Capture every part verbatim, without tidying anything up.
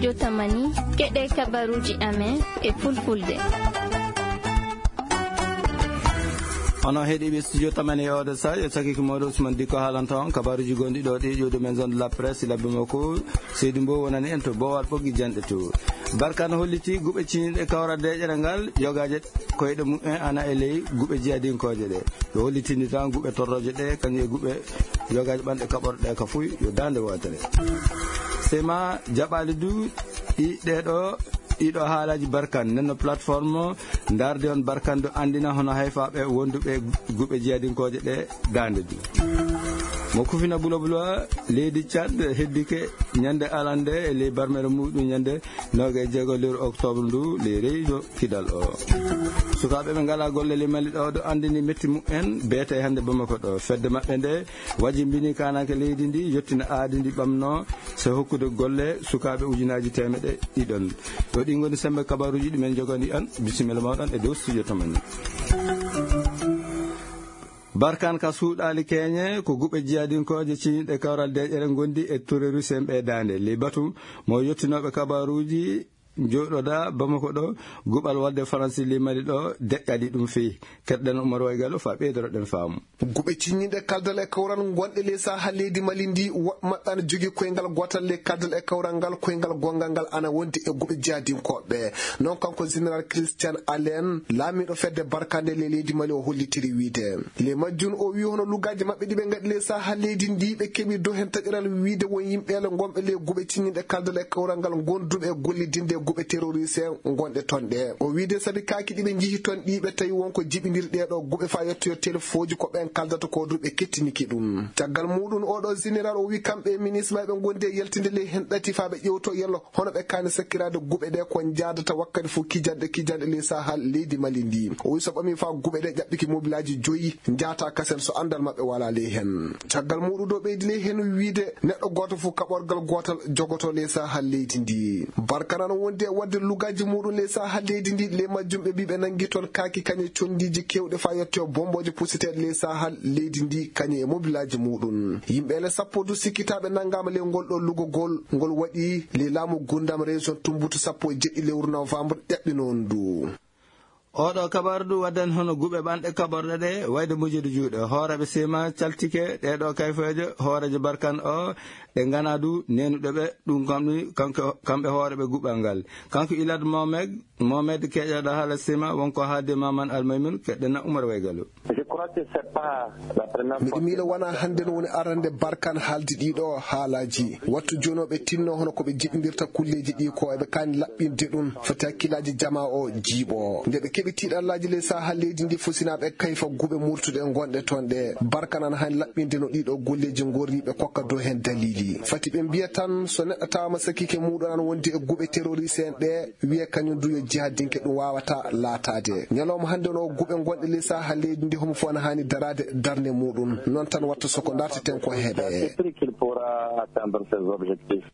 Jotamani, keɗe kabaruji amen e fulfulde. Ono heɗiɓe studio tamani e oɗo sa, e sakiki moɗo Usman Diko haalanta on kabaruji gonɗi ɗo ɗi ƴuwde men zone de la presse, labbi mo ko Seydi Mbow wonani en to Bowal Ɓoggi Janɗe to. Barkan holliti guɓe ciñiɗe kawral deƴere ngal, yogaje koyɗe mumen ana e ley guɓe jiyadinkooje ɗe. Ɓe hollitini tan guɓe torroje ɗe, kañum e guɓe yogaje ɓanɗe kaɓorɗe ka fuy yo dande wootere. Sema jaɓali du ɗi ɗeɗo, ɗiɗo haalaji barkan. Nenno plateforme ndarde on barkan du andina hono hayfaɓe wonduɓe guɓe jiyadinkooje ɗe dande du. Mo kufina bulo bulo leydi Tchad heddike ñande alande e ley barmere muɗum ñande noga e jeego lewru octobre ndu ley région Kidal o. Sukaaɓe ɓe ngala golle ley Mali ɗo, ɗo andini metti mumen beete hannde Bamako ɗo. Fedde maɓɓe nde wajimbini kananke leydi ndi, yettina aadi ndi ɓamno, so hokkude golle sukaaɓe ujunaji temeɗe ɗiɗon. Ɗo ɗi ngoni sembe kabaruji ɗi men jogani an. Bisimilla mawɗon e dow studio tamani. Barkan ka suuɗaali keñe, ko guɓe jiyadinkooje ciñiɗe kawral deƴere ngondi e terroriste en ɓe daande. Ley batu mo yettinooɓe kabaruji jooɗoda Bamako ɗo, guɓal walde Faransi ley Mali ɗo, deƴƴaɗi ɗum feyi. Keɗɗen Umar Waygalo fa ɓeydoroɗen faamu. Guɓe ciñiɗe kaldal e kawral gonɗe ley Sahel leydi Mali ndi, woɓɓe maɓɓe ana jogii koyngal gootal ley kaldal e kawral ngal, koyngal gonngal ngal ana wondi e guɓe jihadinkooɓe. Non kanko Général Christian Allen, laamiiɗo fedde barkande ley leydi Mali, o hollitiri wiide. Ley majjum o wi hono lugaaji maɓɓe ɗi ɓe ngaɗi ley Sahel leydi ndi, ɓe keɓi dow hen taƴoral wiide won yimɓeele gonɓe ley guɓe ciñiɗe kaldal e kawral ngal gonduɓe e gollidinde e guɓe terroriste gonɗe ton ɗe. O wiide sabi kaaki ɗi ɓe njihi ton ɗi ɓe tawi won ko jiɓindirɗe ɗo guɓe fa yettoyo telefooji ko ɓen kaldata ko du ɓe kettiniki ɗum. Caggal muɗum oɗo général o wi kamɓe e ministre maɓɓe ɓe gondi e yaltinde ley hen ɗati fa ɓe ƴewto yallo hono ɓe kaani sakkiraade guɓe ɗe ko njaadata wakkati fof kijanɗe, kijanɗe ley Sahel leydi Mali ndi. O wi so ɓami fa guɓe ɗe ƴaɓɓiki mobilaaji joyi njaata kasen so anndal maɓɓe wala ley hen. Caggal muɗum ɗo ɓeydi ley hen wiide neɗɗo gooto fof kaɓorgal gootal jogoto ley Sahel leydi ndi. Barkanano wondi e wadde lugaaji muɗum ley Sahel leydi ndi, ley majjum ɓe mbi ɓe nangi toon kaaki kañe condiiji kewɗe fa yettoyo bombooje pusiteeɗe ley Sahel leydi ndi kañe e mobilaaji muɗum. Yimɓe ele sappo du sikkitaaɓe nangaama ley ngol ɗo lugogol ngol waɗi ley laamu gundam région Tumbutu sappo e jeɗɗi lewru novembre ƴaɓɓinoon ndu. Oɗo kabaru du waddan hono guɓe ɓanɗe kaɓorɗe ɗe wayde mujjude juuɗe. Hooreɓe sema caltike ɗeɗo kayfeeje hoorejo barkan o ɗe ngana du nenuɗo ɓe ɗum kamɓe, kanko, kamɓe hooreɓe guɓal ngal. Kanko Ilad Mohamed, Mohamed keƴaɗo haala sema wonko haalde Maman Almaymun keɗɗena Umar Waygalo. Je crois que c'est pas la première fois. Miɗo miila wona hannde no woni arande barkan haaldi ɗiɗo haalaji. Wattu jooni o ɓe tinno hono ko ɓe jiɓindirta kulleeji ɗi ko eɓe kaani laɓɓinde ɗum. Foti hakkillaaji jama o jiiɓo. Nde ɓe keɓi tiiɗallaaji ley Sahel leydi ndi fusinaɓe kayfa guɓe murtuɗe gonɗe toon ɗe. Barkan ana haani laɓɓinde no ɗiɗo golleeji ngorri ɓe kokka dow heen daliili. Fati ɓe mbiya tan so neɗɗo tawama sakkike muɗum ana wondi e guɓe terroriste en ɗe, wiya kañum du yo jihadinke ɗum wawata laataade. Ñalawma hannde no guɓe gonɗe ley Sahel leydi ndi homo fof ana haani daraade darnde muɗum. Noon tan watta soko darteten ko heɓe. C'est pris qu'il pourra atteindre ses objectifs.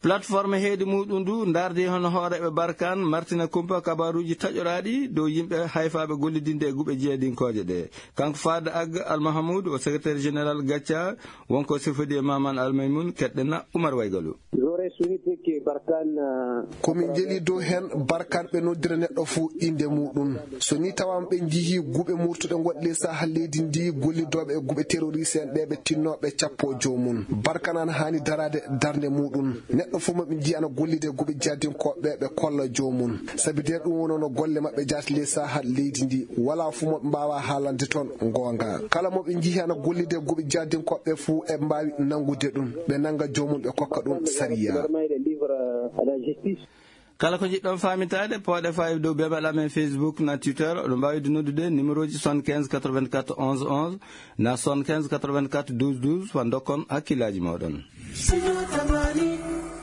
Plateforme heedi muɗum du ndardi hono hooreɓe Barkan martina kumpa kabaruji taƴoraɗi dow yimɓe hayfaɓe gollidinde e guɓe jeeyadinkooje ɗe. Kanko Fada Ag Al Mahamoud o secrétaire général Gacca, wonko sifodi e Maman Al Maymun, keɗɗena Umar Waygalu. J'aurais souhaité que Barkhane, euh, komin jeli dow hen Barkhane ɓe noddira neɗɗo fo inde muɗum. So ni tawama ɓe jiihi guɓe murtuɗe gonɗe ley Sahel leydi ndi, gollidooɓe e guɓe terroriste en ɓe, ɓe tinno ɓe cappo joomum. Barkhane ana haani daraade darnde muɗum. Neɗɗo fof mo ɓe njiyi ana gollida e guɓe jihadinkooɓe ɓe, ɓe kolla joomum. Sabi nder ɗum wonno no golle maɓɓe jaati ley Sahel leydi ndi. Wala fof mo ɓe mbawa haalande toon goonga. Kala mo ɓe njiyi ana gollida e guɓe jihadinkooɓe ɓe fof, eɓe mbawi nanngude ɗum. Ɓe nannga joomum, ɓe kokka ɗum sariya. Kala ko njiɗɗon faamintaade, pooɗe faawi dow bebal amen Facebook na Twitter. Oɗon mbaawi du noddude numéro ji soixante-quinze quatre-vingt-quatre onze onze na soixante-quinze quatre-vingt-quatre douze douze, fa ndokkon hakkillaaji mooɗon.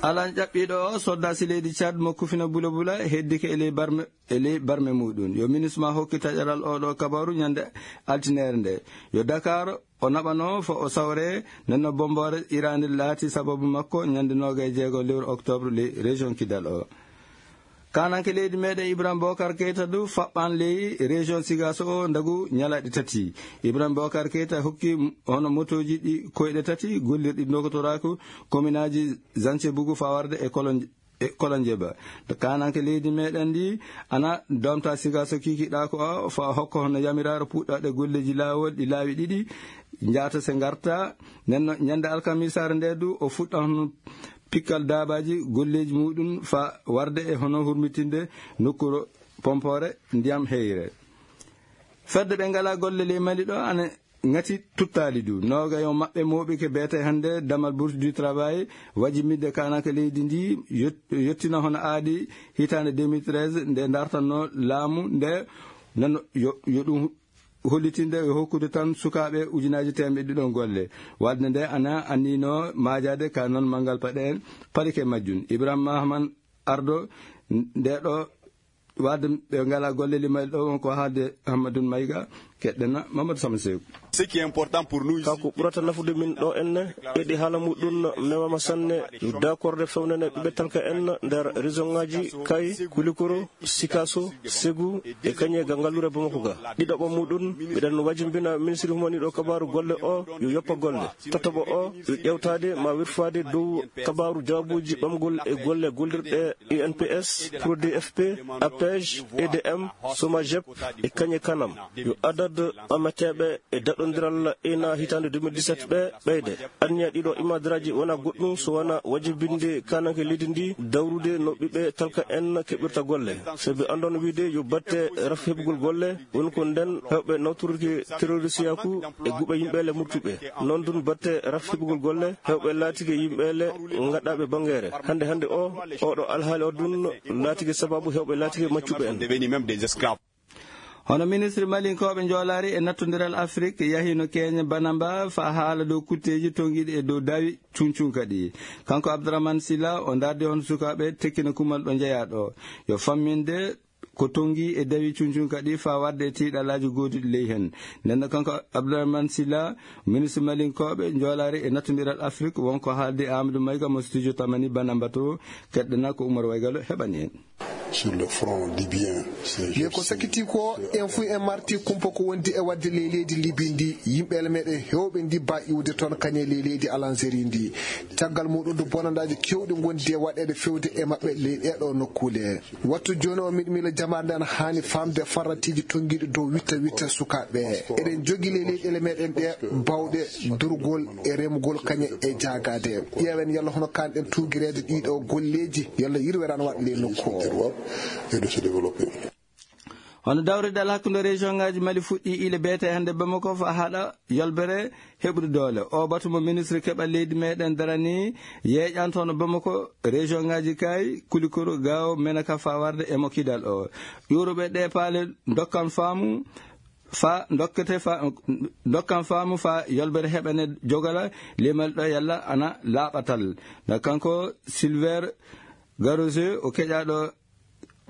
Alan ƴaɓɓiiɗo o, soddaasi leydi Tchad mo Kufina Bula Bula, heddike e ley barme, e ley barme muɗum. Yo ministre ma hokki taƴaral oɗo kabaru ñande altineere nde. Yo Dakar o naɓano fo o sawre, nenno bomboore Iran laati sababu makko ñande noogay jeego lewru octobre ley région Kidal o. Kananke leydi meɗen Ibrahima Bokar Keita du faɓɓan ley région Sigaso o ndagu ñalaɗe tati. Ibrahima Bokar Keita hokki hono motoji ɗi koyɗe tati gollirɗi dogotoraaku kominaaji Zance Bugu fa warde e Kolon e Kolonjeba. To kananke leydi meɗen ndi ana domta siga so kikiɗa ko o fa hokko hono yamiraare puɗɗaɗe golleji laawol ɗi laawi ɗiɗi, njata se ngarta. Nenno ñande alkamisare nde du o fuɗɗa hono pikkal dabaji golleji muɗum fa warde e hono hurmitinde nokkuro pompore ndiyam heyre. Fedde ɓe ngala golle ley Mali ɗo ana ngati tuttali du. Noga yo maɓɓe moɓi ke beete hande damal bourse du travail, waji midde kanaka leydi ndi yot-, yottina hono aadi hitande deux mille treize nde dartanno laamu nde nano yo, yo ɗum hollitinde e hokkude tan sukaaɓe ujunaji temɓe ɗiɗon golle. Wadde nde ana annino majade ka non mangal paɗe en palike majjum. Ibrahima Mahaman Ardo nde ɗo wadde ɓe ngala golle limal ɗo won ko haalde Hammadun Mayga, keɗɗena Mamadou Sama Sew. Ce qui est important pour nous ici, ka ko ɓurata nafude min ɗo enne, eɗi haala muɗum memama sanne, yo dakorde fewnene ɓiɓɓe talka en nder région ngaji Kay, Kulikoro, Sikaso, Segu, e kañe ga ngallure Bamako ga. Ɗiɗaɓo muɗum, miɗen wajimbina ministre humaniɗo kabaru golle o, yo yoppa golle. Tataɓo o, yo ƴewtade ma wirfade dow kabaru jawabuji ɓamgol e golle gollirɗe U N P S, Pro D F P, APEJ, E D M, SOMAGEP, e kañe kanam. Yo adad ɓameteɓe e daɗondiral ena hitande deux mille dix-sept ɓe ɓeyde. Anniya ɗiɗo imadaraji wona goɗɗum so wona wajibinde kananke leydi ndi dawrude no ɓiɓɓe talka en keɓirta golle. Sabi andon wiide yo batte raf heɓugol golle, woni ko nden hewɓe nawtorki terroristiyaku e guɓe yimɓe le murtuɓe. Non dun batte raf heɓugol golle, hewɓe laatike yimɓe le ngaɗaɓe bangere. Hande hande o, oɗo alhaali o dun laatike sababu hewɓe laatike maccuɓe en. Hono ministre malinkoɓe njoolaari e nattondiral Afrik yahino Kenya Banamba fa haala dow kutteji tongiɗi e dow dawi cuncunka ɗi. Kanko Abdourahmane Silla o dardi on sukaɓe tekkina kumal ɗo jeeya ɗo. Yo famminde ko tongi e dawi cuncunka ɗi fa wadde e tiiɗalaji goduɗi ley hen. Nden kanko Abdourahmane Silla, ministre malinkoɓe njoolaari e nattondiral Afrik wonko haaldi Amadou Mayga mo studio Tamani Banamba to, keɗɗena ko Oumar Waygalo heɓani en. Sur le front libyen, c'est... Ye ko sakiti ko en fu en marti kumpa ko wondi e wadde ley leydi Libi ndi, yimɓe le meɗen hewɓe ndi ba iwde toon kañe ley leydi Algérie ndi. Caggal muɗum du bonandaji kewɗi gondi e waɗede fewde e maɓɓe ley ɗeɗo nokkule. Wattu joni o miɗo miila jamaare nde ana hani famde farratiji tongiɗi dow witta witta sukaɓe. Eɗen jogi ley leyɗele meɗen ɗe bawɗe durgol e remgol kañe e jagade. Ƴeewen yalla hono kanɗen tugirede ɗiɗo golleji, yalla yirwere ana waɗa ley nokku o. Et de se développer. Hono dawriɗal hakkunde région ngaji Mali fuɗɗi ile beete hande Bamako fa haɗa yolbere heɓude doole. O batu mo ministre keɓal leydi meɗen darani yeeƴanto hono Bamako, région ngaji Kay, Kulikoro, Gao, Menaka fa warde e mo kidal o. Ƴuuruɓe ɗe paale dokkan faamu fa dokkete fa, dokkan faamu fa yolbere heɓane jogala lemal ɗo yalla ana laaɓatal. Na kanko Silver Garoze o keƴaɗo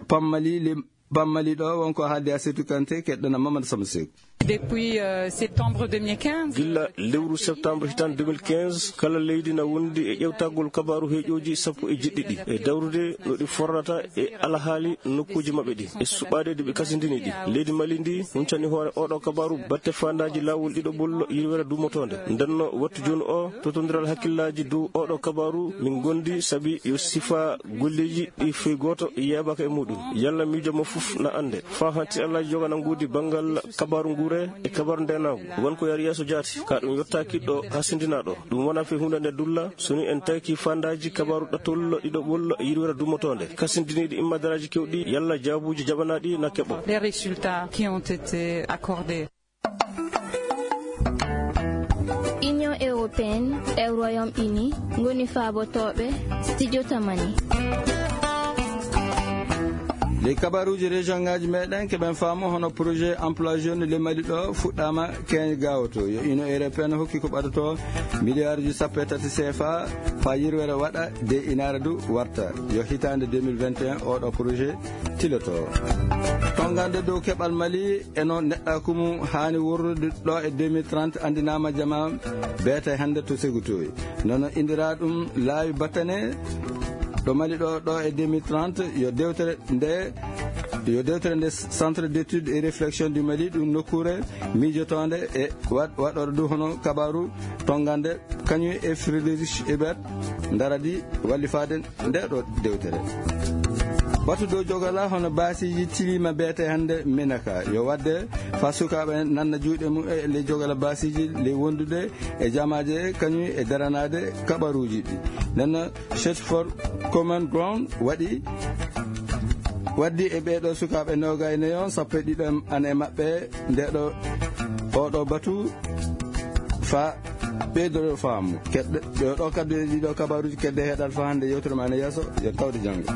Pammali, lim-, Pammali ɗo wonko haaldi Asetu Kante, keɗɗana Mamadou Sama Seku. Depuis, euh, septembre deux mille quinze. Gilla lewru septembre hitan deux mille quinze, kala leydi na wondi e ƴewtagol kabaru heeƴoji sappo e jeɗɗi ɗi. E dawrude no ɗi forrata e alhaali nokkuji maɓɓe ɗi. E suɓaade de ɓe kasindini ɗi. Leydi Mali ndi huncani hoore oɗo kabaru batte fandaji lawol ɗiɗo ɓollo yirwere dumotonde. Ndenno wattu joni o, totondiral hakkillaji dow oɗo kabaru min gondi sabi yo sifa golleji ɗi fey goto yeɓaka e muɗum. Yalla miijo mo fof na ande. Fa hanti Allah jogana nguudi banngal kabaru nguure e kabaru ndenagu. Won ko yari yeeso jaati, ka ɗum yotta kiɗɗo hasindinaɗo. Ɗum wona fe hunde nde dulla, so ni en tawki fandaji kabaru ɗattol ɗiɗo ɓol yirwere dumotonde. Kasindiniɗi imma daraji kewɗi, yalla jaabuji jaɓanaɗi na keɓo. Les résultats qui ont été accordés. Union européenne e Royaume-Uni ngoni faabotooɓe studio Tamani. Ley kabaruuji région ngaaji meɗen keɓen faamu hono projet emploi jeune ley Mali ɗo fuɗɗaama keeñ gawoto. Yo Union européenne hokki ko ɓadoto milliard ji sappo e tati C F A fa yirwere waɗa de inaare du warta. Yo hitaande deux mille vingt et un oɗo projet tiloto. Tongande dow keɓal Mali e no neɗɗaku mum haani worrude ɗo e deux mille trente andinaama jama beete hannde to Segutoy. Nono indira ɗum laawi battane ɗo Mali ɗo, ɗo e deux mille trente yo dewtere nde Yo dewtere nde Centre d'études et réflexion du Mali, ɗum nokkuure miijotoonde e waɗ- waɗoore du hono kabaaru tonngande, kañum e Friedrich Ebert ndaradi wallifaade nde ɗo dewtere. Batu dow jogala hono baasiiji tiliima beete hannde Menaka. Yo waɗde fa sukaaɓe nanna juuɗe mum e ley jogala baasiiji ley wondude e jamaaje kañum e daranaade kabaruuji ɗi. Nden Search for Common Ground waɗi waddi e ɓeeɗo sukaaɓe noogay nayo, sappo e ɗiɗo ana e maɓɓe nde ɗo oɗo batu fa ɓeydoɗo faamu. Keɗɗe ɗo ɗo kaddu e ɗiɗo kabaruuji keɗɗe heɗal fa hannde yewtere ma ne yeeso, yo tawde janngo.